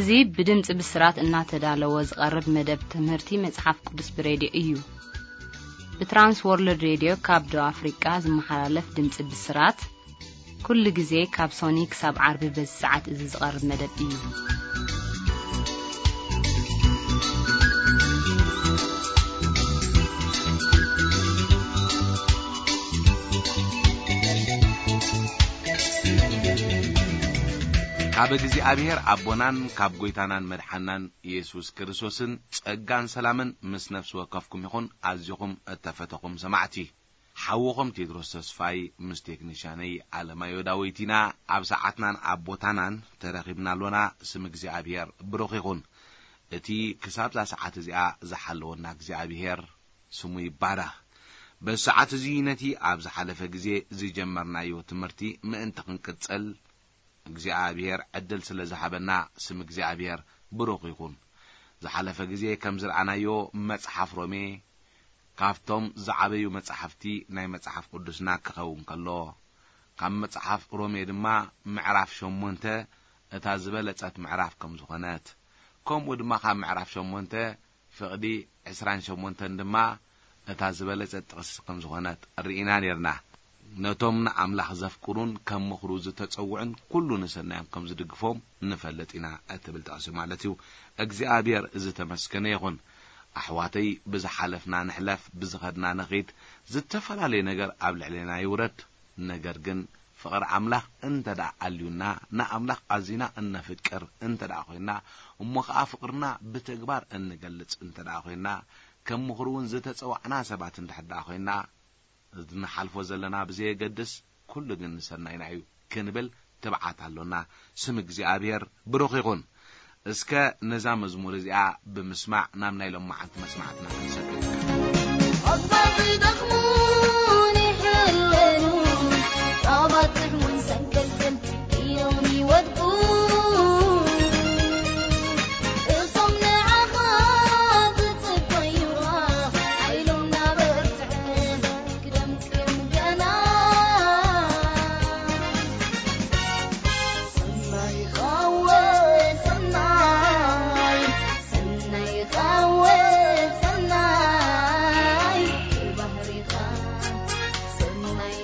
እዚ ብድምፂ ብስራት እናተዳለወ ዝቐርብ መደብ ትምህርቲ መፅሓፍ ቅዱስ ብሬድዮ እዩ። ብትራንስ ወርልድ ሬድዮ ካብ ደቡብ ኣፍሪቃ ዝመሓላለፍ ድምፂ ብስራት ኩሉ ግዜ ካብ ሶኒ ክሳብ ዓርቢ በዚ ሰዓት እዚ ዝቐርብ መደብ እዩ። ካብ እግዚኣብሔር ኣቦናን ካብ ጐይታናን መድሓናን ኢየሱስ ክርስቶስን ጸጋን ሰላምን ምስ ነፍሲ ወከፍኩም ይኹን። ኣዚኹም እተፈተኹም ሰማዕቲ፣ ሓውኹም ቴድሮስ ተስፋይ ምስ ቴክኒሻነይ ኣለማዮ ዳዊት ኢና ኣብ ሰዓትናን ኣብ ቦታናን ተረኺብና ኣሎና። ስም እግዚኣብሔር ብሩኽ ይኹን። እቲ ክሳብዛ ሰዓት እዚኣ ዝሓለወና እግዚኣብሔር ስሙ ይባረኽ። በዚ ሰዓት እዚ ነቲ ኣብ ዝሓለፈ ግዜ ዝጀመርናዮ ትምህርቲ ምእንቲ ክንቅጽል እግዚኣብሔር ዕድል ስለ ዝሃበና ስም እግዚኣብሔር ብሩኽ ይኹን። ዝሓለፈ ግዜ ከም ዝረኣናዮ መጽሓፍ ሮሜ ካብቶም ዝዓበዩ መጻሕፍቲ ናይ መጽሓፍ ቅዱስና ክኸውን ከሎ፣ ካብ መጽሓፍ ሮሜ ድማ ምዕራፍ ሸሞንተ እታ ዝበለጸት ምዕራፍ ከም ዝኾነት፣ ከምኡ ድማ ካብ ምዕራፍ ሸሞንተ ፍቕዲ ዕስራን ሸሞንተን ድማ እታ ዝበለጸት ጥቕሲ ከም ዝኾነት ርኢና ኔርና። ነቶም ንኣምላኽ ዘፍቅሩን ከም ምኽሩ ዝተጸውዑን ኩሉ ንሰናዮም ከም ዝድግፎም ንፈልጥ ኢና እትብል ጥቕሲ ማለት እዩ። እግዚኣብሔር ዝተመስገነ ይኹን። ኣሕዋተይ፣ ብዝሓለፍና ንሕለፍ፣ ብዝኸድና ንኺድ፣ ዝተፈላለየ ነገር ኣብ ልዕሌና ይውረድ፣ ነገር ግን ፍቕሪ ኣምላኽ እንተ ደኣ ኣልዩና፣ ንኣምላኽ ኣዚና እነፍቅር እንተ ደኣ ኾይንና፣ እሞ ኸኣ ፍቕርና ብተግባር እንገልጽ እንተ ደኣ ኾይንና፣ ከም ምኽሩ እውን ዝተጸዋዕና ሰባት እንድሕር ደኣ ኾይንና፣ ንሓልፎ ዘለና ብዘየገድስ፣ ኩሉ ግን ንሰናይና እዩ ክንብል ትብዓት ኣሎና። ስም እግዚኣብሔር ብሩኽ ይኹን። እስከ ነዛ መዝሙር እዚኣ ብምስማዕ ናብ ናይ ሎማዓንቲ መስማዕትና ክንሰግር። ኣባኺ ደኽሙን ይሕለኑ፣ ጣባት ጥሕሙን ሰንከልክል ኢሎም ይወድቁ። እቶም ንዓኻ ዝጽበዩኻ፣ ሓይሎም ናበርትዐ ክደምቅም ገና። ሰናይ ኻወ ሰናይ፣ ሰናይ ኻወ ሰናይ፣ ባህሪኻ ሰናይ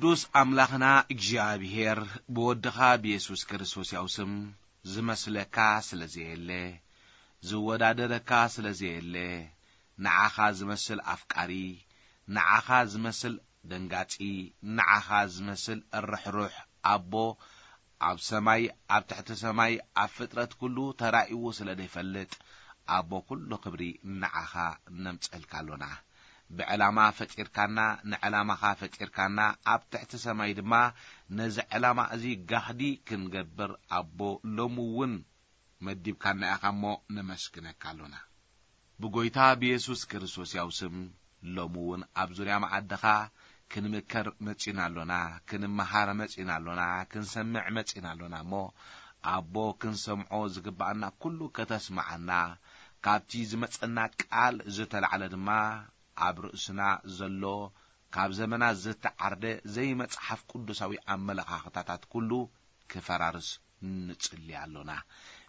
ቅዱስ ኣምላኽና እግዚኣብሔር፣ ብወድኻ ብየሱስ ክርስቶስ ያው ስም ዝመስለካ ስለ ዘየለ፣ ዝወዳደረካ ስለ ዘየለ፣ ንዓኻ ዝመስል ኣፍቃሪ፣ ንዓኻ ዝመስል ደንጋጺ፣ ንዓኻ ዝመስል ርሕሩሕ ኣቦ፣ ኣብ ሰማይ፣ ኣብ ትሕቲ ሰማይ፣ ኣብ ፍጥረት ኩሉ ተራእይዎ ስለ ዘይፈልጥ፣ ኣቦ ኩሉ ክብሪ ንዓኻ ነምጸልካ ኣሎና። ብዕላማ ፈጢርካና፣ ንዕላማኻ ፈጢርካና፣ ኣብ ትሕቲ ሰማይ ድማ ነዚ ዕላማ እዚ ጋህዲ ክንገብር ኣቦ ሎሚ እውን መዲብካና ኢኻ እሞ ነመስግነካ ኣሎና። ብጎይታ ብየሱስ ክርስቶስ ያው ስም ሎሚ እውን ኣብ ዙርያ መዓድኻ ክንምከር መጺና ኣሎና፣ ክንመሃር መጺና ኣሎና፣ ክንሰምዕ መጺና ኣሎና እሞ ኣቦ ክንሰምዖ ዝግብኣና ኩሉ ከተስምዓና፣ ካብቲ ዝመጸና ቃል ዝተላዕለ ድማ ኣብ ርእስና ዘሎ ካብ ዘመናት ዝተዓርደ ዘይመጽሓፍ ቅዱሳዊ ኣመለኻኽታታት ኩሉ ክፈራርስ ንጽሊ ኣሎና።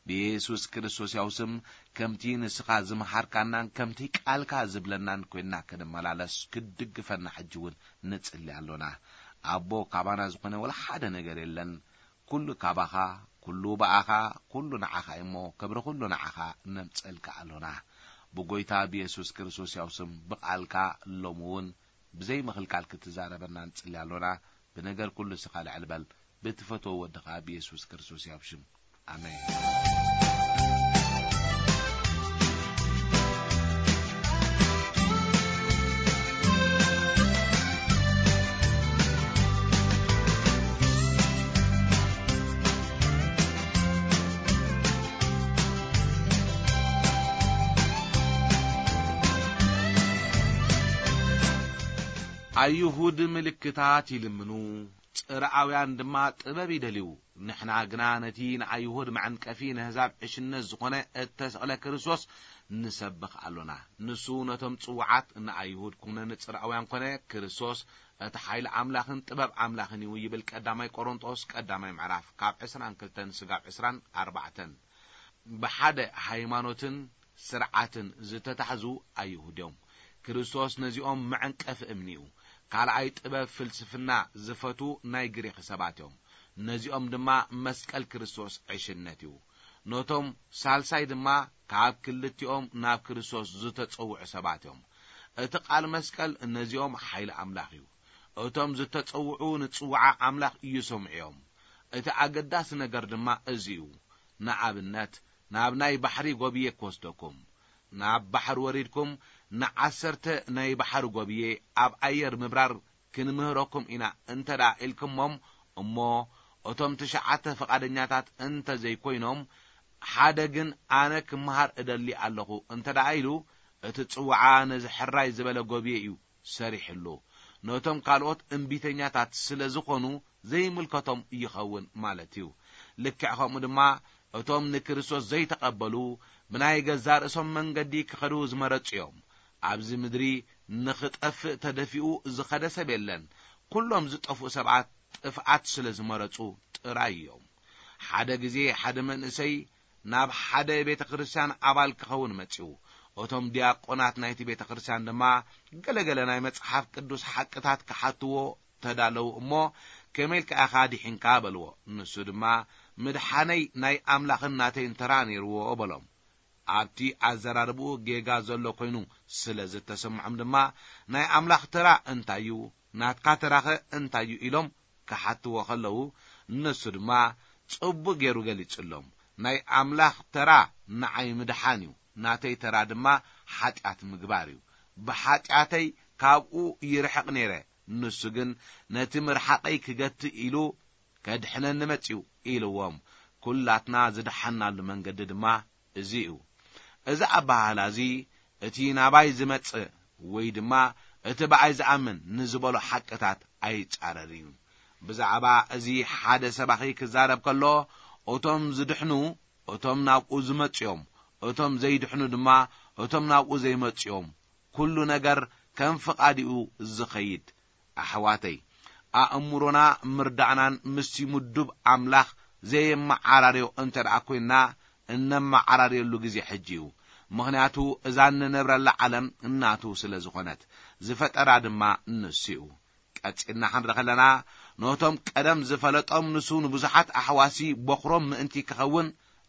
ብየሱስ ክርስቶስ ያው ስም ከምቲ ንስኻ ዝመሃርካናን ከምቲ ቃልካ ዝብለናን ኮይንና ክንመላለስ ክትድግፈና ሕጂ እውን ንጽሊ ኣሎና። ኣቦ ካባና ዝኾነ ወላ ሓደ ነገር የለን። ኩሉ ካባኻ፣ ኩሉ ብኣኻ፣ ኩሉ ንዓኻ እዩ እሞ ክብሪ ኩሉ ንዓኻ ነምጸልካ ኣሎና። ብጎይታ ብየሱስ ክርስቶስ ያው ስም ብቃልካ ሎሚ እውን ብዘይ ምኽልካል ክትዛረበና ንጽሊ ኣሎና። ብነገር ኩሉ ስኻ ልዕል በል። ብትፈትዎ ወድኻ ብየሱስ ክርስቶስ ያው ሽም። ኣሜን። ኣይሁድ ምልክታት ይልምኑ፣ ጽርኣውያን ድማ ጥበብ ይደልዩ። ንሕና ግና ነቲ ንኣይሁድ መዐንቀፊ፣ ነህዛብ ዕሽነት ዝኾነ እተሰቕለ ክርስቶስ ንሰብኽ ኣሎና። ንሱ ነቶም ጽዉዓት፣ ንኣይሁድ ኩነ ንጽርኣውያን ኮነ፣ ክርስቶስ እቲ ሓይሊ ኣምላኽን ጥበብ ኣምላኽን እዩ ይብል ቀዳማይ ቆሮንጦስ ቀዳማይ ምዕራፍ ካብ ዕስራን ክልተን ስጋብ ዕስራን ኣርባዕተን። ብሓደ ሃይማኖትን ስርዓትን ዝተታሕዙ ኣይሁድ እዮም። ክርስቶስ ነዚኦም መዐንቀፊ እምኒ እዩ። ካልኣይ ጥበብ ፍልስፍና ዝፈቱ ናይ ግሪኽ ሰባት እዮም። ነዚኦም ድማ መስቀል ክርስቶስ ዕሽነት እዩ። ነቶም ሳልሳይ ድማ ካብ ክልቲኦም ናብ ክርስቶስ ዝተጸውዑ ሰባት እዮም። እቲ ቃል መስቀል ነዚኦም ሓይሊ ኣምላኽ እዩ። እቶም ዝተጸውዑ ንጽውዓ ኣምላኽ ይሰምዑ እዮም። እቲ ኣገዳሲ ነገር ድማ እዚ እዩ። ንኣብነት፣ ናብ ናይ ባሕሪ ጎብየ ክወስደኩም። ናብ ባሕሪ ወሪድኩም ንዓሰርተ ናይ ባሕሪ ጎብየ ኣብ ኣየር ምብራር ክንምህረኩም ኢና እንተ ደኣ ኢልኩሞም፣ እሞ እቶም ትሽዓተ ፍቓደኛታት እንተ ዘይኮይኖም፣ ሓደ ግን ኣነ ክመሃር እደሊ ኣለኹ እንተ ደኣ ኢሉ፣ እቲ ጽውዓ ነዚ ሕራይ ዝበለ ጎብየ እዩ ሰሪሕሉ። ነቶም ካልኦት እምቢተኛታት ስለ ዝኾኑ ዘይምልከቶም ይኸውን ማለት እዩ። ልክዕ ከምኡ ድማ እቶም ንክርስቶስ ዘይተቐበሉ ብናይ ገዛ ርእሶም መንገዲ ክኸዱ ዝመረጹ እዮም። ኣብዚ ምድሪ ንኽጠፍእ ተደፊኡ ዝኸደ ሰብ የለን። ኩሎም ዝጠፍኡ ሰባት ጥፍኣት ስለ ዝመረጹ ጥራይ እዮም። ሓደ ግዜ ሓደ መንእሰይ ናብ ሓደ ቤተ ክርስቲያን ኣባል ክኸውን መጺኡ። እቶም ዲያቆናት ናይቲ ቤተ ክርስቲያን ድማ ገለገለ ናይ መጽሓፍ ቅዱስ ሓቅታት ክሓትዎ ተዳለዉ እሞ፣ "ከመይ ኢልካ ኢኻ ድሒንካ?" በልዎ። ንሱ ድማ፣ "ምድሓነይ ናይ ኣምላኽን ናተይን ተራ ነይርዎ" በሎም። ኣብቲ ኣዘራርብኡ ጌጋ ዘሎ ኮይኑ ስለ ዝተሰምዖም ድማ፣ "ናይ ኣምላኽ ተራ እንታይ እዩ? ናትካ ተራኸ እንታይ እዩ?" ኢሎም ክሓትዎ ከለዉ፣ ንሱ ድማ ጽቡቕ ገይሩ ገሊጹሎም። "ናይ ኣምላኽ ተራ ንዓይ ምድሓን እዩ፣ ናተይ ተራ ድማ ሓጢኣት ምግባር እዩ። ብሓጢኣተይ ካብኡ ይርሕቕ ነይረ፣ ንሱ ግን ነቲ ምርሓቐይ ክገትእ ኢሉ ከድሕነኒ መጺኡ" ኢልዎም። ኩላትና ዝደሓናሉ መንገዲ ድማ እዚ እዩ። እዚ ኣበሃህላ እዚ እቲ ናባይ ዝመጽእ ወይ ድማ እቲ ብኣይ ዝኣምን ንዝበሎ ሓቅታት ኣይጻረርን እዩ። ብዛዕባ እዚ ሓደ ሰባኺ ክዛረብ ከሎ፣ እቶም ዝድሕኑ እቶም ናብኡ ዝመጹ እዮም፣ እቶም ዘይድሕኑ ድማ እቶም ናብኡ ዘይመጹ እዮም። ኩሉ ነገር ከም ፍቓድኡ ዝኸይድ። ኣሕዋተይ፣ ኣእምሮና ምርዳእናን ምስቲ ምዱብ ኣምላኽ ዘየመዓራርዮ እንተ ደኣ ኮይንና፣ እነመዓራርየሉ ግዜ ሕጂ እዩ። ምኽንያቱ እዛ እንነብረላ ዓለም እናቱ ስለ ዝኾነት፣ ዝፈጠራ ድማ ንሱ እዩ። ቀጺልና ክንርኢ ከለና፣ ነቶም ቀደም ዝፈለጦም ንሱ ንብዙሓት ኣሕዋሲ በኹሮም ምእንቲ ክኸውን፣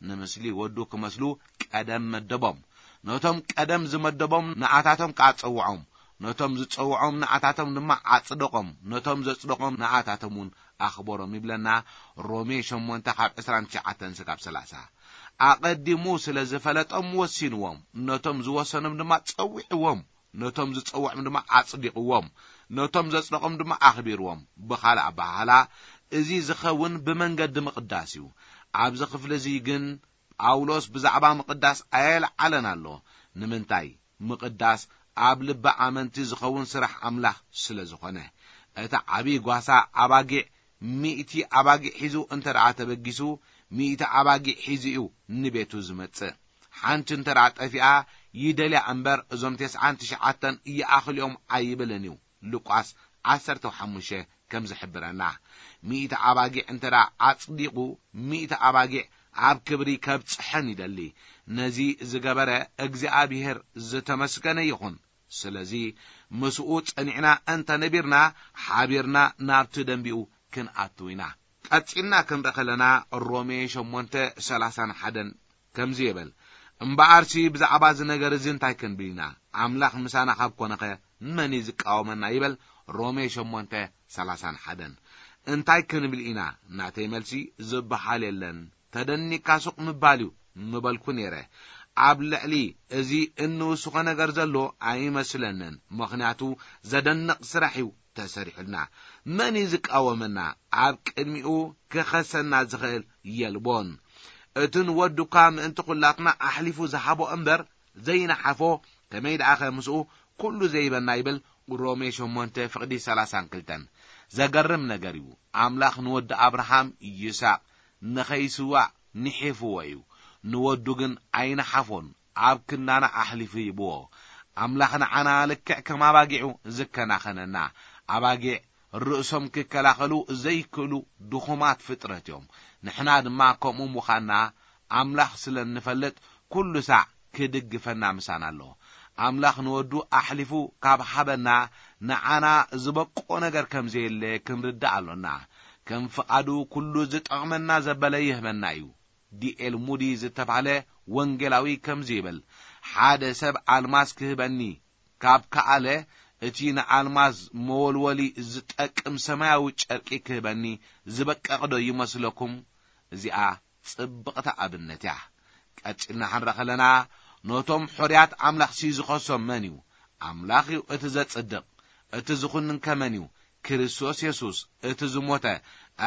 ንምስሊ ወዱ ክመስሉ ቀደም መደቦም። ነቶም ቀደም ዝመደቦም ንኣታቶም ከኣ ጸውዖም። ነቶም ዝጸውዖም ንኣታቶም ድማ ኣጽደቖም። ነቶም ዘጽደቖም ንኣታቶም እውን ኣኽበሮም ይብለና ሮሜ ሸሞንተ ካብ ዕስራን ትሽዓተን ስጋብ ሰላሳ። ኣቐዲሙ ስለ ዝፈለጦም ወሲንዎም። ነቶም ዝወሰኖም ድማ ጸዊዕዎም። ነቶም ዝጸውዖም ድማ ኣጽዲቕዎም። ነቶም ዘጽደቖም ድማ ኣኽቢርዎም። ብኻልእ ኣበሃህላ፣ እዚ ዝኸውን ብመንገዲ ምቕዳስ እዩ። ኣብዚ ክፍሊ እዚ ግን ጳውሎስ ብዛዕባ ምቕዳስ ኣየልዓለን ኣሎ። ንምንታይ? ምቕዳስ ኣብ ልቢ ኣመንቲ ዝኸውን ስራሕ ኣምላኽ ስለ ዝኾነ። እቲ ዓብዪ ጓሳ ኣባጊዕ፣ ሚእቲ ኣባጊዕ ሒዙ እንተ ደኣ ተበጊሱ፣ ሚእቲ ኣባጊዕ ሒዙ እዩ ንቤቱ ዝመጽእ። ሓንቲ እንተ ደኣ ጠፊኣ ይደልያ እምበር፣ እዞም ተስዓን ትሽዓተን ይኣኽልዮም ኣይብልን እዩ። ሉቃስ ዓሰርተ ሓሙሽተ ከም ዝሕብረና፣ ሚእቲ ኣባጊዕ እንተ ደኣ ኣጽዲቑ፣ ሚእቲ ኣባጊዕ ኣብ ክብሪ ከብጽሐን ይደሊ። ነዚ ዝገበረ እግዚኣብሔር ዝተመስገነ ይኹን። ስለዚ ምስኡ ጸኒዕና እንተ ነቢርና፣ ሓቢርና ናብቲ ደንቢኡ ክንኣትው ኢና። ቀጺልና ክንርኢ ከለና፣ ሮሜ ሸሞንተ ሰላሳን ሓደን ከምዚ ይብል፣ እምበኣርሲ ብዛዕባ እዚ ነገር እዚ እንታይ ክንብል ኢና? ኣምላኽ ምሳና ካብ ኮነኸ መን እዩ ዝቃወመና? ይብል ሮሜ ሸሞንተ ሰላሳን ሓደን። እንታይ ክንብል ኢና? ናተይ መልሲ፣ ዝበሃል የለን፣ ተደኒካ ሱቕ ምባል እዩ ምበልኩ ነይረ። ኣብ ልዕሊ እዚ እንውስኾ ነገር ዘሎ ኣይመስለንን፣ ምኽንያቱ ዘደንቕ ስራሕ እዩ ተሰሪሑልና። መን እዩ ዝቃወመና? ኣብ ቅድሚኡ ክኸሰና ዝኽእል የልቦን። እቲ ንወዱ እኳ ምእንቲ ኹላትና ኣሕሊፉ ዝሃቦ እምበር ዘይነሓፎ፣ ከመይ ደኣኸ ምስኡ ኩሉ ዘይበና ይብል ሮሜ ሸሞንተ ፍቕዲ ሰላሳን ክልተን። ዘገርም ነገር እዩ። ኣምላኽ ንወዲ ኣብርሃም ይስሐቅ ንኸይስዋእ ንሒፍዎ እዩ። ንወዱ ግን ኣይነሓፎን፣ ኣብ ክንዳና ኣሕሊፉ ይብዎ። ኣምላኽ ንዓና ልክዕ ከም ኣባጊዑ ዝከናኸነና። ኣባጊዕ ርእሶም ክከላኸሉ ዘይክእሉ ድኹማት ፍጥረት እዮም። ንሕና ድማ ከምኡ ምዃንና ኣምላኽ ስለ እንፈልጥ፣ ኩሉ ሳዕ ክድግፈና ምሳና ኣሎ። ኣምላኽ ንወዱ ኣሕሊፉ ካብ ሃበና፣ ንዓና ዝበቆ ነገር ከም ዘየለ ክንርዳእ ኣሎና። ከም ፍቓዱ ኩሉ ዝጠቕመና ዘበለ ይህበና እዩ። ዲኤል ሙዲ ዝተባህለ ወንጌላዊ ከምዚ ይብል፣ ሓደ ሰብ ኣልማዝ ክህበኒ ካብ ከኣለ፣ እቲ ንኣልማዝ መወልወሊ ዝጠቅም ሰማያዊ ጨርቂ ክህበኒ ዝበቀቕዶ ይመስለኩም? እዚኣ ጽብቕቲ ኣብነት እያ። ቀጺልና ክንርኢ ከለና፣ ነቶም ሕሩያት ኣምላኽሲ ዝኸሶም መን እዩ? ኣምላኽ እዩ እቲ ዘጽድቕ። እቲ ዝኹንን ከ መን እዩ? ክርስቶስ የሱስ፣ እቲ ዝሞተ፣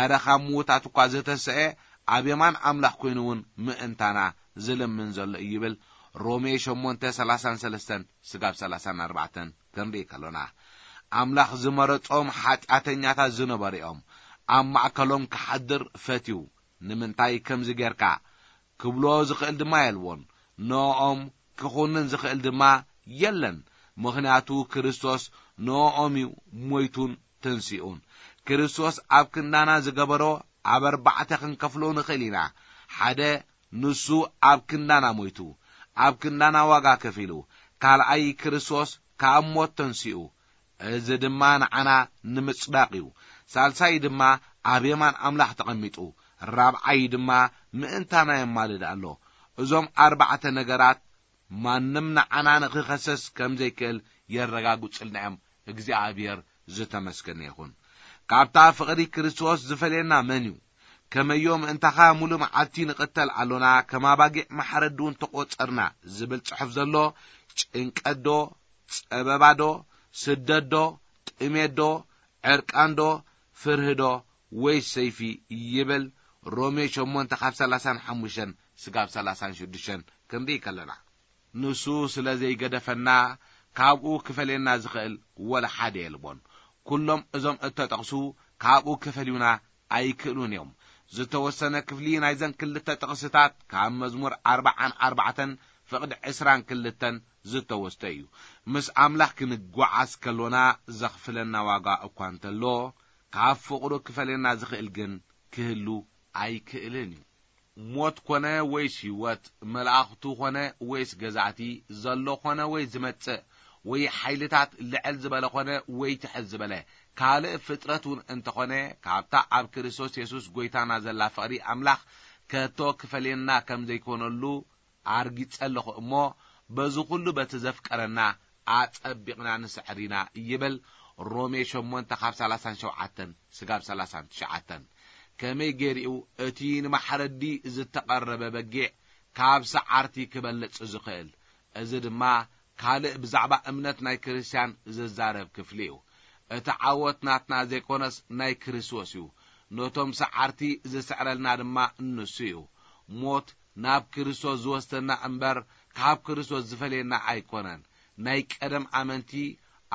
ኣረ ካብ ምዉታት እኳ ዝተሰኤ፣ ኣብ የማን ኣምላኽ ኮይኑ እውን ምእንታና ዝልምን ዘሎ እዩ ይብል ሮሜ ሸሞንተ ሰላሳን ሰለስተን ስጋብ ሰላሳን ኣርባዕተን ክንርኢ ከሎና። ኣምላኽ ዝመረጾም ሓጢኣተኛታት ዝነበሩ እዮም። ኣብ ማእከሎም ክሓድር ፈትዩ። ንምንታይ ከምዚ ጌርካ? ክብሎ ዝኽእል ድማ የልቦን። ንኦም ክኹንን ዝኽእል ድማ የለን። ምኽንያቱ ክርስቶስ ንኦም እዩ ሞይቱን ተንሲኡን። ክርስቶስ ኣብ ክንዳና ዝገበሮ ኣብ ኣርባዕተ ክንከፍሎ ንኽእል ኢና። ሓደ፣ ንሱ ኣብ ክንዳና ሞይቱ፣ ኣብ ክንዳና ዋጋ ከፊሉ። ካልኣይ፣ ክርስቶስ ካብ ሞት ተንሲኡ። እዚ ድማ ንዓና ንምጽዳቕ እዩ። ሳልሳይ ድማ ኣብ የማን ኣምላኽ ተቐሚጡ። ራብዓይ ድማ ምእንታና የማልድ ኣሎ። እዞም ኣርባዕተ ነገራት ማንም ንዓና ንኽኸሰስ ከም ዘይክእል የረጋግጹልና እዮም። እግዚኣብሔር ዝተመስገነ ይኹን። ካብታ ፍቕሪ ክርስቶስ ዝፈልየና መን እዩ? ከመዮ ምእንታኻ ሙሉእ መዓልቲ ንቕተል ኣሎና፣ ከም ኣባጊዕ ማሕረዲ እውን ተቖጸርና ዝብል ጽሑፍ ዘሎ፣ ጭንቀት ዶ፣ ጸበባ ዶ፣ ስደት ዶ፣ ጥሜት ዶ፣ ዕርቃን ዶ፣ ፍርሂ ዶ፣ ወይስ ሰይፊ ይብል ሮሜ ሸሞንተ ካብ ሰላሳን ሓሙሽተን ስጋብ ሰላሳን ሽዱሽተን ክንርኢ ከለና። ንሱ ስለ ዘይገደፈና፣ ካብኡ ክፈልየና ዝኽእል ወላ ሓደ የልቦን። ኩሎም እዞም እተጠቕሱ ካብኡ ክፈልዩና ኣይክእሉን እዮም። ዝተወሰነ ክፍሊ ናይዘን ክልተ ጥቕስታት ካብ መዝሙር ኣርብዓን ኣርባዕተን ፍቕዲ ዕስራን ክልተን ዝተወስደ እዩ። ምስ ኣምላኽ ክንጓዓዝ ከሎና ዘኽፍለና ዋጋ እኳ እንተሎ፣ ካብ ፍቕሩ ክፈልየና ዝኽእል ግን ክህሉ ኣይክእልን እዩ። ሞት ኮነ ወይስ ህይወት፣ መላእኽቱ ኮነ ወይስ ገዛእቲ፣ ዘሎ ኮነ ወይ ዝመጽእ፣ ወይ ሓይልታት ልዕል ዝበለ ኮነ ወይ ትሕት ዝበለ፣ ካልእ ፍጥረት እውን እንተኾነ፣ ካብታ ኣብ ክርስቶስ የሱስ ጐይታና ዘላ ፍቕሪ ኣምላኽ ከቶ ክፈልየና ከም ዘይኮነሉ ኣርጊጸ ኣለኹ እሞ፣ በዚ ኹሉ በቲ ዘፍቀረና ኣጸቢቕና ንስዕር ኢና ይብል። ሮሜ ሸሞንተ ካብ ሰላሳን ሸውዓተን ስጋብ ሰላሳን ትሽዓተን። ከመይ ገይሩ እቲ ንማሕረዲ ዝተቐረበ በጊዕ ካብ ሰዓርቲ ክበልጽ ዝኽእል? እዚ ድማ ካልእ ብዛዕባ እምነት ናይ ክርስትያን ዝዛረብ ክፍሊ እዩ። እቲ ዓወት ናትና ዘይኮነስ ናይ ክርስቶስ እዩ። ነቶም ሰዓርቲ ዝስዕረልና ድማ ንሱ እዩ። ሞት ናብ ክርስቶስ ዝወስደና እምበር ካብ ክርስቶስ ዝፈልየና ኣይኮነን። ናይ ቀደም ኣመንቲ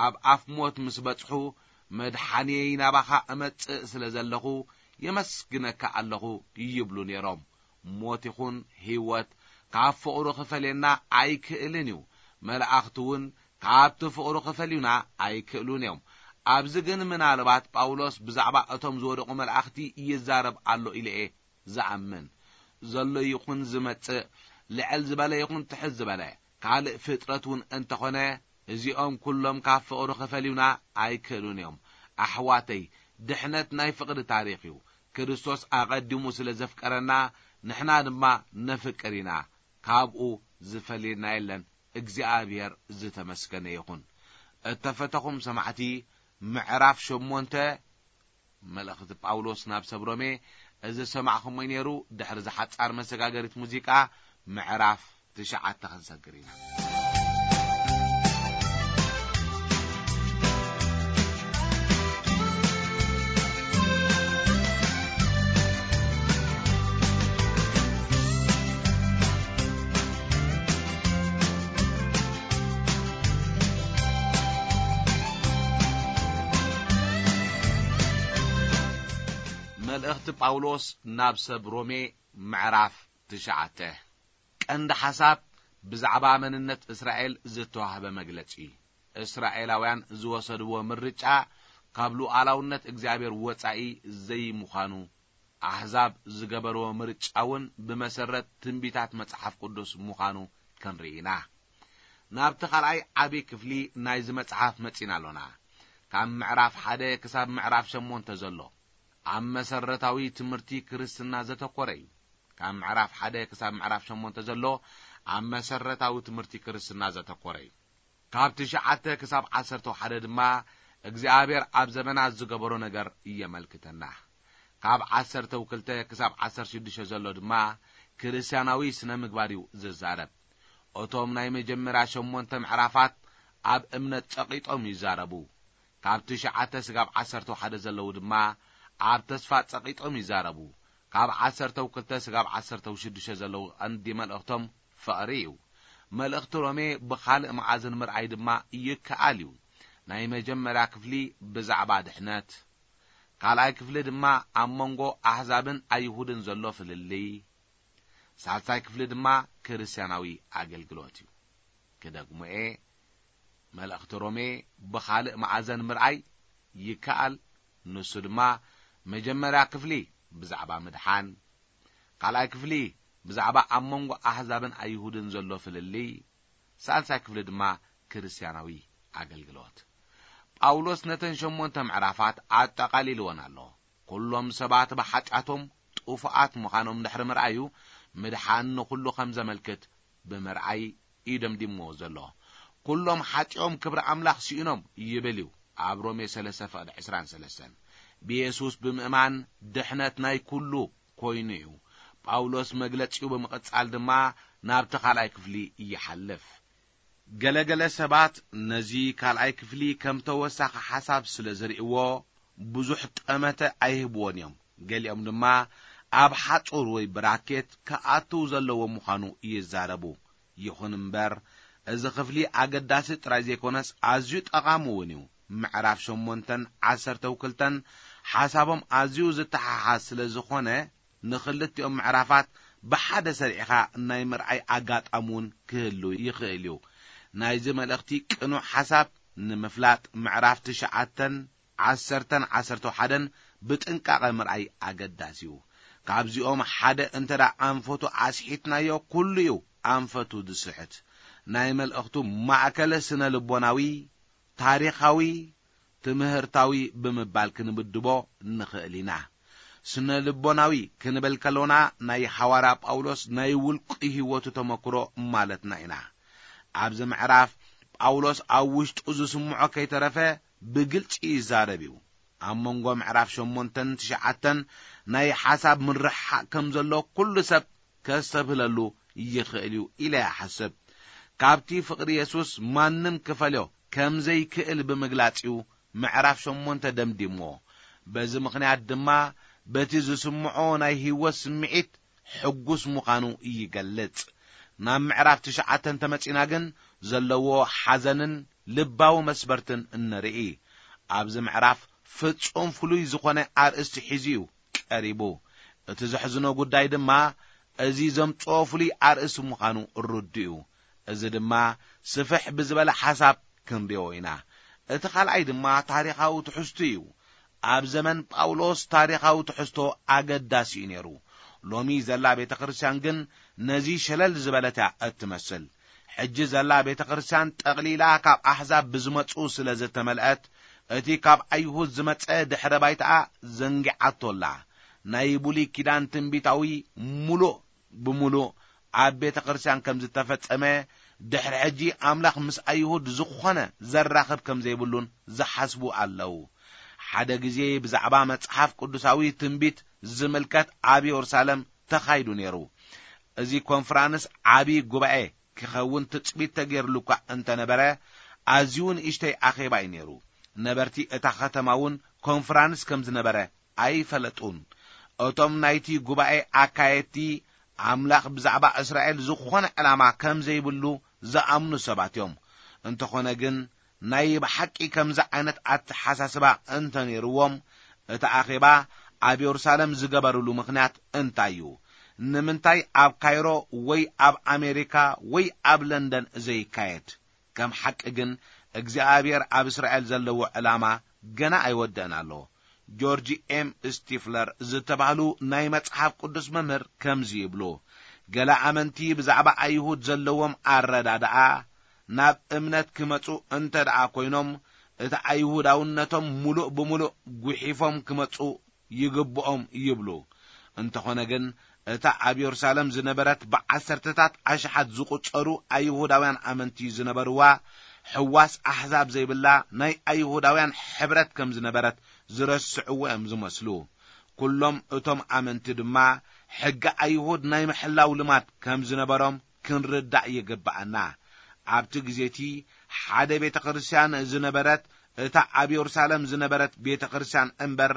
ኣብ ኣፍ ሞት ምስ በጽሑ፣ "መድሓንየይ ናባኻ እመጽእ ስለ ዘለኹ የመስግነካ ኣለኹ" ይብሉ ነይሮም። ሞት ይኹን ህይወት ካብ ፍቕሩ ክፈልየና ኣይክእልን እዩ። መላእኽቲ እውን ካብቲ ፍቕሩ ክፈልዩና ኣይክእሉን እዮም። ኣብዚ ግን ምናልባት ጳውሎስ ብዛዕባ እቶም ዝወደቑ መላእኽቲ ይዛረብ ኣሎ ኢለ እየ ዝኣምን። ዘሎ ይኹን ዝመጽእ፣ ልዕል ዝበለ ይኹን ትሕት ዝበለ፣ ካልእ ፍጥረት እውን እንተኾነ፣ እዚኦም ኩሎም ካብ ፍቕሩ ክፈልዩና ኣይክእሉን እዮም። ኣሕዋተይ፣ ድሕነት ናይ ፍቕሪ ታሪኽ እዩ። ክርስቶስ ኣቐዲሙ ስለ ዘፍቀረና፣ ንሕና ድማ ነፍቅር ኢና። ካብኡ ዝፈልየና የለን። እግዚኣብሔር ዝተመስገነ ይኹን። እተፈተኹም ሰማዕቲ፣ ምዕራፍ ሸሞንተ መልእኽቲ ጳውሎስ ናብ ሰብ ሮሜ፣ እዚ ዝሰማዕኹሞ ነይሩ። ድሕሪ ዝሓጻር መሰጋገሪት ሙዚቃ፣ ምዕራፍ ትሽዓተ ክንሰግር ኢና። መልእኽቲ ጳውሎስ ናብ ሰብ ሮሜ፣ ምዕራፍ ትሽዓተ። ቀንዲ ሓሳብ ብዛዕባ መንነት እስራኤል ዝተዋህበ መግለጺ። እስራኤላውያን ዝወሰድዎ ምርጫ ካብ ሉዓላውነት እግዚኣብሔር ወጻኢ ዘይምዃኑ፣ ኣሕዛብ ዝገበርዎ ምርጫ እውን ብመሰረት ትንቢታት መጽሓፍ ቅዱስ ምዃኑ ክንርኢ ኢና። ናብቲ ካልኣይ ዓቢ ክፍሊ ናይዚ መጽሓፍ መጺና ኣሎና። ካብ ምዕራፍ ሓደ ክሳብ ምዕራፍ ሸሞንተ ዘሎ ኣብ መሰረታዊ ትምህርቲ ክርስትና ዘተኮረ እዩ። ካብ ምዕራፍ ሓደ ክሳብ ምዕራፍ ሸሞንተ ዘሎ ኣብ መሰረታዊ ትምህርቲ ክርስትና ዘተኮረ እዩ። ካብ ትሽዓተ ክሳብ ዓሰርተ ሓደ ድማ እግዚኣብሔር ኣብ ዘመናት ዝገበሮ ነገር የመልክተና። ካብ ዓሰርተ ክልተ ክሳብ ዓሰርተ ሽዱሽተ ዘሎ ድማ ክርስትያናዊ ስነ ምግባር እዩ ዝዛረብ። እቶም ናይ መጀመርያ ሸሞንተ ምዕራፋት ኣብ እምነት ጸቒጦም ይዛረቡ። ካብ ትሽዓተ ስጋብ ዓሰርተ ሓደ ዘለዉ ድማ ኣብ ተስፋ ጸቒጦም ይዛረቡ። ካብ ዓሰርተ ክልተ ስጋብ ዓሰርተ ሽዱሽተ ዘለዉ ቀንዲ መልእኽቶም ፍቕሪ እዩ። መልእኽቲ ሮሜ ብኻልእ መኣዝን ምርኣይ ድማ ይከኣል እዩ። ናይ መጀመርያ ክፍሊ ብዛዕባ ድሕነት፣ ካልኣይ ክፍሊ ድማ ኣብ መንጎ ኣሕዛብን ኣይሁድን ዘሎ ፍልልይ፣ ሳልሳይ ክፍሊ ድማ ክርስትያናዊ ኣገልግሎት እዩ። ክደግሞ እየ፣ መልእኽቲ ሮሜ ብኻልእ መኣዘን ምርኣይ ይከኣል። ንሱ ድማ መጀመርያ ክፍሊ ብዛዕባ ምድሓን፣ ካልኣይ ክፍሊ ብዛዕባ ኣብ መንጎ ኣሕዛብን ኣይሁድን ዘሎ ፍልልይ፣ ሳልሳይ ክፍሊ ድማ ክርስትያናዊ ኣገልግሎት። ጳውሎስ ነተን ሸሞንተ ምዕራፋት ኣጠቓሊልወን ኣሎ። ኩሎም ሰባት ብሓጢኣቶም ጥፉኣት ምዃኖም ድሕሪ ምርኣዩ፣ ምድሓን ንኹሉ ከም ዘመልክት ብምርኣይ እዩ ደምዲምዎ ዘሎ። ኩሎም ሓጢኦም ክብሪ ኣምላኽ ስኢኖም ይብል እዩ ኣብ ሮሜ ሰለስተ ፍቕዲ ዕስራን ሰለስተን። ብየሱስ ብምእማን ድሕነት ናይ ኩሉ ኮይኑ እዩ። ጳውሎስ መግለጺኡ ብምቕጻል ድማ ናብቲ ካልኣይ ክፍሊ ይሓልፍ። ገለገለ ሰባት ነዚ ካልኣይ ክፍሊ ከም ተወሳኺ ሓሳብ ስለ ዝርእይዎ፣ ብዙሕ ጠመተ ኣይህብዎን እዮም። ገሊኦም ድማ ኣብ ሓጹር ወይ ብራኬት ክኣትው ዘለዎ ምዃኑ ይዛረቡ። ይኹን እምበር፣ እዚ ክፍሊ ኣገዳሲ ጥራይ ዘይኮነስ፣ ኣዝዩ ጠቓሚ እውን እዩ። ምዕራፍ ሸሞንተን ዓሰርተ ክልተን ሓሳቦም ኣዝዩ ዝተሓሓዝ ስለ ዝኾነ፣ ንኽልቲኦም ምዕራፋት ብሓደ ሰሪዕኻ ናይ ምርኣይ ኣጋጣሚ እውን ክህሉ ይኽእል እዩ። ናይዚ መልእኽቲ ቅኑዕ ሓሳብ ንምፍላጥ፣ ምዕራፍ ትሽዓተን ዓሰርተን ዓሰርተ ሓደን ብጥንቃቐ ምርኣይ ኣገዳሲ እዩ። ካብዚኦም ሓደ እንተ ደኣ ኣንፈቱ ኣስሒትናዮ፣ ኩሉ እዩ ኣንፈቱ ዝስሕት። ናይ መልእኽቱ ማእከለ ስነ ልቦናዊ፣ ታሪኻዊ፣ ትምህርታዊ ብምባል ክንምድቦ ንኽእል ኢና። ስነ ልቦናዊ ክንብል ከሎና ናይ ሓዋርያ ጳውሎስ ናይ ውልቂ ህይወቱ ተመክሮ ማለትና ኢና። ኣብዚ ምዕራፍ ጳውሎስ ኣብ ውሽጡ ዝስምዖ ከይተረፈ ብግልጺ ይዛረብ እዩ። ኣብ መንጎ ምዕራፍ ሸሞንተን ትሽዓተን ናይ ሓሳብ ምርሕሓቕ ከም ዘሎ ኩሉ ሰብ ከስተብህለሉ ይኽእል እዩ ኢለ ይሓስብ። ካብቲ ፍቕሪ የሱስ ማንም ክፈልዮ ከም ዘይክእል ብምግላጽ እዩ ምዕራፍ ሸሞንተ ደምዲምዎ። በዚ ምኽንያት ድማ በቲ ዝስምዖ ናይ ህይወት ስምዒት ሕጉስ ምዃኑ ይገልጽ። ናብ ምዕራፍ ትሽዓተ እንተመጺና ግን ዘለዎ ሓዘንን ልባዊ መስበርትን እንርኢ። ኣብዚ ምዕራፍ ፍጹም ፍሉይ ዝኾነ ኣርእስቲ ሒዙ እዩ ቀሪቡ። እቲ ዘሕዝኖ ጉዳይ ድማ እዚ ዘምጽኦ ፍሉይ ኣርእስቲ ምዃኑ ርዱእ እዩ። እዚ ድማ ስፍሕ ብዝበለ ሓሳብ ክንሪኦ ኢና። እቲ ካልኣይ ድማ ታሪኻዊ ትሕዝቱ እዩ። ኣብ ዘመን ጳውሎስ ታሪኻዊ ትሕዝቶ ኣገዳሲ እዩ ነይሩ። ሎሚ ዘላ ቤተ ክርስቲያን ግን ነዚ ሸለል ዝበለት እያ እትመስል። ሕጂ ዘላ ቤተ ክርስቲያን ጠቕሊላ ካብ ኣሕዛብ ብዝመጹ ስለ ዝተመልአት፣ እቲ ካብ ኣይሁድ ዝመጸ ድሕረ ባይታኣ ዘንጊዓቶ ኣላ። ናይ ብሉይ ኪዳን ትንቢታዊ ምሉእ ብምሉእ ኣብ ቤተ ክርስቲያን ከም ዝተፈጸመ፣ ድሕሪ ሕጂ ኣምላኽ ምስ ኣይሁድ ዝኾነ ዘራኽብ ከም ዘይብሉን ዝሓስቡ ኣለዉ። ሓደ ግዜ ብዛዕባ መጽሓፍ ቅዱሳዊ ትንቢት ዝምልከት ኣብ የሩሳሌም ተኻይዱ ነይሩ። እዚ ኮንፍራንስ ዓቢ ጉባኤ ክኸውን ትጽቢት ተገይርሉ እኳ እንተነበረ፣ ኣዝዩ ንእሽተይ ኣኼባ እዩ ነይሩ። ነበርቲ እታ ከተማ እውን ኮንፍራንስ ከም ዝነበረ ኣይፈለጡን። እቶም ናይቲ ጉባኤ ኣካየድቲ፣ ኣምላኽ ብዛዕባ እስራኤል ዝኾነ ዕላማ ከም ዘይብሉ ዝኣምኑ ሰባት እዮም። እንተኾነ ግን፣ ናይ ብሓቂ ከምዚ ዓይነት ኣተሓሳስባ እንተነይርዎም፣ እቲ ኣኼባ ኣብ የሩሳሌም ዝገበርሉ ምኽንያት እንታይ እዩ? ንምንታይ ኣብ ካይሮ ወይ ኣብ ኣሜሪካ ወይ ኣብ ለንደን ዘይካየድ? ከም ሓቂ ግን፣ እግዚኣብሔር ኣብ እስራኤል ዘለዎ ዕላማ ገና ኣይወደእን ኣሎ። ጆርጅ ኤም ስቲፍለር ዝተባህሉ ናይ መጽሓፍ ቅዱስ መምህር ከምዚ ይብሉ፣ ገለ ኣመንቲ ብዛዕባ ኣይሁድ ዘለዎም ኣረዳድኣ፣ ናብ እምነት ክመጹ እንተ ደኣ ኮይኖም፣ እቲ ኣይሁዳውነቶም ምሉእ ብምሉእ ጒሒፎም ክመጹ ይግብኦም ይብሉ። እንተኾነ ግን፣ እታ ኣብ የሩሳሌም ዝነበረት ብዓሰርተታት ኣሽሓት ዝቑጸሩ ኣይሁዳውያን ኣመንቲ ዝነበርዋ፣ ሕዋስ ኣሕዛብ ዘይብላ ናይ ኣይሁዳውያን ሕብረት ከም ዝነበረት ዝረስዕዎ እዮም ዝመስሉ። ኩሎም እቶም ኣመንቲ ድማ፣ ሕጊ ኣይሁድ ናይ ምሕላው ልማድ ከም ዝነበሮም ክንርዳእ ይግብኣና። ኣብቲ ግዜ እቲ ሓደ ቤተ ክርስቲያን ዝነበረት፣ እታ ኣብ የሩሳሌም ዝነበረት ቤተ ክርስቲያን እምበር፣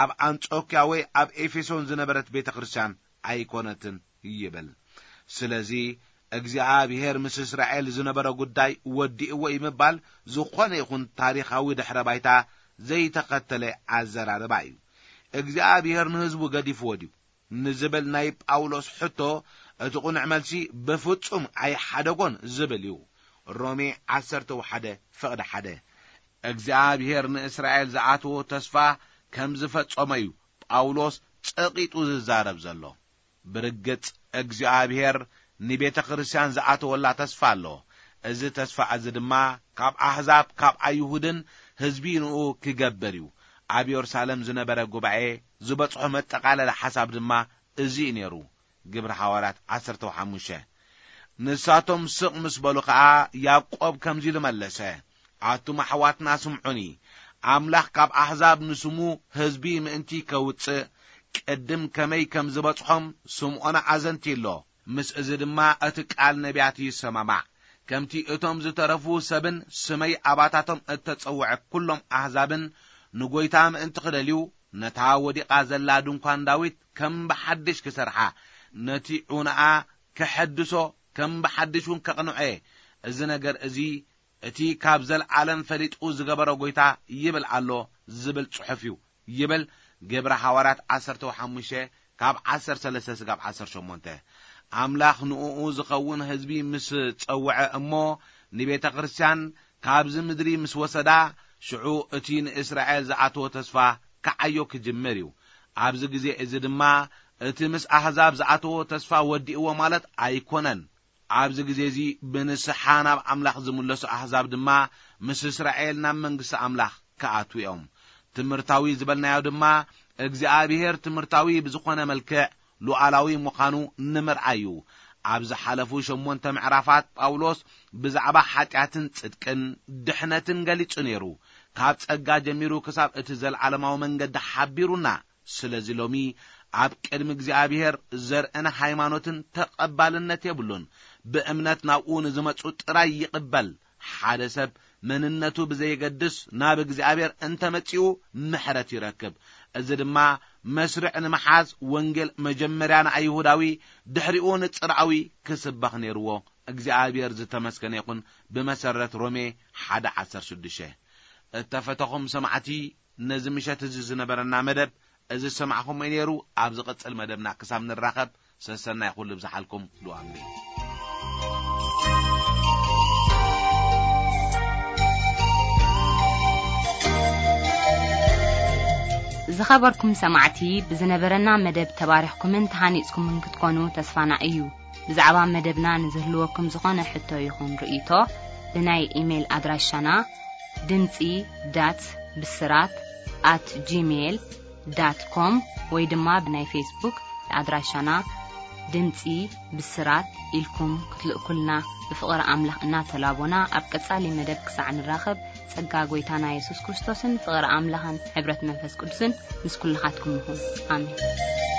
ኣብ ኣንጾክያ ወይ ኣብ ኤፌሶን ዝነበረት ቤተ ክርስቲያን ኣይኮነትን ይብል። ስለዚ፣ እግዚኣብሔር ምስ እስራኤል ዝነበረ ጉዳይ ወዲእዎ እዩ ምባል፣ ዝኾነ ይኹን ታሪኻዊ ድሕረ ባይታ ዘይተኸተለ ኣዘራርባ እዩ። እግዚኣብሔር ንህዝቡ ገዲፍዎ ድዩ? ንዝብል ናይ ጳውሎስ ሕቶ፣ እቲ ቕኑዕ መልሲ ብፍጹም ኣይሓደጎን ዝብል እዩ። ሮሜ ዓሰርተ ሓደ ፍቕዲ ሓደ። እግዚኣብሔር ንእስራኤል ዝኣተዎ ተስፋ ከም ዝፈጸሞ እዩ ጳውሎስ ጸቒጡ ዝዛረብ ዘሎ። ብርግጽ እግዚኣብሔር ንቤተ ክርስቲያን ዝኣተወላ ተስፋ ኣሎ። እዚ ተስፋ እዚ ድማ ካብ ኣሕዛብ፣ ካብ ኣይሁድን ህዝቢ ንኡ ክገብር እዩ። ኣብ የሩሳሌም ዝነበረ ጉባኤ ዝበጽሖ መጠቓለሊ ሓሳብ ድማ እዚ እዩ ነይሩ። ግብሪ ሃዋርያት ዓሰርተ ሓሙሽተ። ንሳቶም ስቕ ምስ በሉ ኸኣ፣ ያዕቆብ ከምዚ ኢሉ መለሰ፣ ኣቱም ኣሕዋትና ስምዑኒ። ኣምላኽ ካብ ኣሕዛብ ንስሙ ህዝቢ ምእንቲ ከውጽእ፣ ቅድም ከመይ ከም ዝበጽሖም ስምዖና ኣዘንትዩ ኣሎ። ምስ እዚ ድማ እቲ ቃል ነቢያት ይሰማማዕ። ከምቲ እቶም ዝተረፉ ሰብን ስመይ ኣባታቶም እተጸውዐ ኩሎም ኣሕዛብን ንጐይታ ምእንቲ ክደልዩ፣ ነታ ወዲቓ ዘላ ድንኳን ዳዊት ከም ብሓድሽ ክሰርሓ፣ ነቲ ዑናኣ ከሐድሶ፣ ከም ብሓድሽ እውን ከቕንዖ እየ። እዚ ነገር እዚ እቲ ካብ ዘለዓለም ፈሊጡ ዝገበሮ ጐይታ ይብል ኣሎ ዝብል ጽሑፍ እዩ። ይብል ግብሪ ሃዋርያት ዓሰርተ ሓሙሽተ ካብ ዓሰርተ ሰለስተ ስጋብ ዓሰርተ ሸሞንተ። ኣምላኽ ንእኡ ዝኸውን ህዝቢ ምስ ጸውዐ እሞ ንቤተ ክርስቲያን ካብዚ ምድሪ ምስ ወሰዳ፣ ሽዑ እቲ ንእስራኤል ዝኣተወ ተስፋ ክዓዮ ክጅምር እዩ። ኣብዚ ግዜ እዚ ድማ እቲ ምስ ኣህዛብ ዝኣተወ ተስፋ ወዲእዎ ማለት ኣይኮነን። ኣብዚ ግዜ እዚ ብንስሓ ናብ ኣምላኽ ዝምለሱ ኣህዛብ ድማ ምስ እስራኤል ናብ መንግስቲ ኣምላኽ ክኣትዉ እዮም። ትምህርታዊ ዝበልናዮ ድማ እግዚኣብሔር ትምህርታዊ ብዝኾነ መልክዕ ሉዓላዊ ምዃኑ ንምርኣይ እዩ። ኣብ ዝሓለፉ ሸሞንተ ምዕራፋት ጳውሎስ ብዛዕባ ሓጢኣትን ጽድቅን ድሕነትን ገሊጹ ነይሩ። ካብ ጸጋ ጀሚሩ ክሳብ እቲ ዘለዓለማዊ መንገዲ ሓቢሩና። ስለዚ ሎሚ ኣብ ቅድሚ እግዚኣብሔር ዘርእን ሃይማኖትን ተቐባልነት የብሉን። ብእምነት ናብኡ ንዝመጹ ጥራይ ይቕበል። ሓደ ሰብ መንነቱ ብዘየገድስ ናብ እግዚኣብሔር እንተመጺኡ ምሕረት ይረክብ። እዚ ድማ መስርዕ ንምሓዝ ወንጌል መጀመርያ ንኣይሁዳዊ ድሕሪኡ ንጽርዓዊ ክስበኽ ነይርዎ። እግዚኣብሔር ዝተመስገነ ይኹን። ብመሰረት ሮሜ ሓደ ዓሰርተ ሽዱሽተ። እተፈተኹም ሰማዕቲ፣ ነዚ ምሸት እዚ ዝነበረና መደብ እዚ ዝሰማዕኹሞ ነይሩ። ኣብ ዝቕጽል መደብና ክሳብ ንራኸብ ሰሰናይ ኩሉ ብዝሓልኩም ሉኣምሪ። ዝኸበርኩም ሰማዕቲ፣ ብዝነበረና መደብ ተባሪኽኩምን ተሃኒጽኩምን ክትኮኑ ተስፋና እዩ። ብዛዕባ መደብና ንዝህልወኩም ዝኾነ ሕቶ ይኹን ርእይቶ፣ ብናይ ኢሜይል ኣድራሻና ድምጺ ዳት ብስራት ኣት ጂሜይል ዳት ኮም ወይ ድማ ብናይ ፌስቡክ ኣድራሻና ድምጺ ብስራት ኢልኩም ክትልእኩልና ብፍቕሪ ኣምላኽ እናተላቦና፣ ኣብ ቀጻሊ መደብ ክሳዕ ንራኸብ፣ ጸጋ ጐይታና የሱስ ክርስቶስን ፍቕሪ ኣምላኽን ሕብረት መንፈስ ቅዱስን ምስ ኩልኻትኩም ይኹን። ኣሜን።